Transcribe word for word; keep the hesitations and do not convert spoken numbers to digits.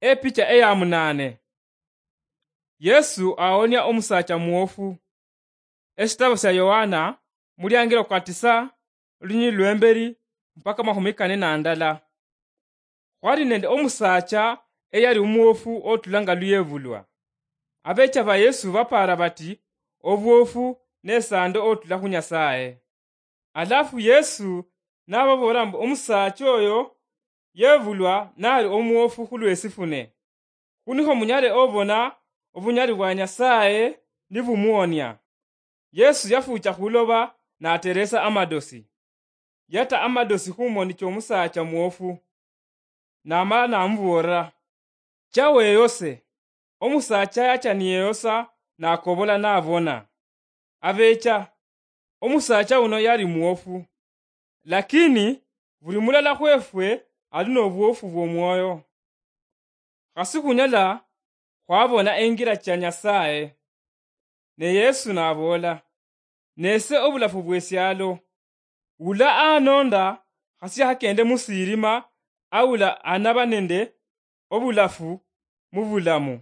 Epicha eya munane. Yesu awonia omusacha mwofu. Eshitabo sha Yohana, muliangilo kwa tisa, olunyili lwemberi mpaka mahumi kane na ndala. Khwali nende omusacha eyali omwofu otula nga luyevulwa. Abecha ba Yesu bapara bati, obwofu nesando otula khu Nyasaye. Alafu Yesu nababoolera mbu omusaacha oyo yevulwa nali omwofu khulwesifune, khunikho munyale obona obunyali bwa Nyasaye nibumuonia. Yesu yafucha khuloba nateresa amadosi, yata amadosi khumoni chomusaacha mwofu, namala namuboolera, cha weyose. Omusaacha yacha niyeyosa, nakobola nabona. Abecha, omusaacha uno yali mwofu, lakini buli mulala khwefwe ali nobwofu bwomwoyo. Khasi khunyala khwabona engira cha Nyasaye. Ne Yesu naboola, nese obulafu bwesialo. Ula anonda khasi hakende musirima, aula anaba nende obulafu mubulamu.